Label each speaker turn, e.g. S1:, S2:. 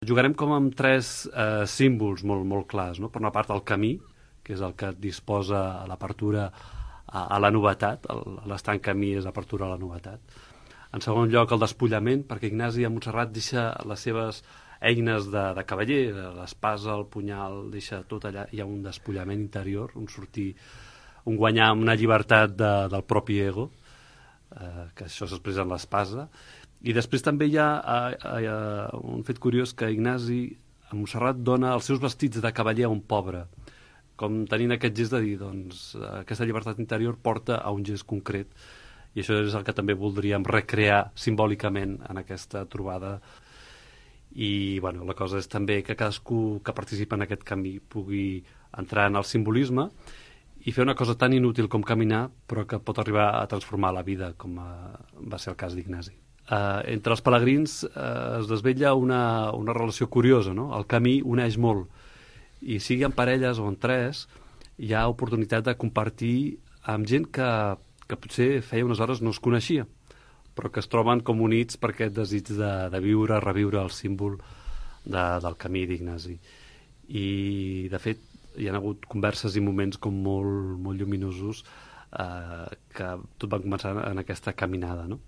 S1: Jugarem com amb tres símbols molt clars, no? Per una part, el camí, que és el que et disposa a l'apertura a la novetat, l'estant camí és apertura a la novetat. En segon lloc, el despullament, perquè Ignasi a Montserrat deixa les seves eines de cavaller, l'espasa, el punyal, deixa tot allà, hi ha un despullament interior, un guanyar una llibertat del propi ego, que això s'expressa en l'espasa. I després també hi ha un fet curiós, que Ignasi a Montserrat dona els seus vestits de cavaller a un pobre, com tenint aquest gest de dir, doncs, aquesta llibertat interior porta a un gest concret, i això és el que també voldríem recrear simbòlicament en aquesta trobada. I bueno, la cosa és també que cadascú que participa en aquest camí pugui entrar en el simbolisme i fer una cosa tan inútil com caminar, però que pot arribar a transformar la vida, com va ser el cas d'Ignasi. Entre els pelegrins es desvetlla una relació curiosa, no? El camí uneix molt, i sigui en parelles o en tres, hi ha oportunitat de compartir amb gent que potser feia unes hores no es coneixia, però que es troben com units per aquest desig de viure, reviure el símbol del camí d'Ignasi. I, de fet, hi ha hagut converses i moments com molt lluminosos que tot van començar en aquesta caminada, no?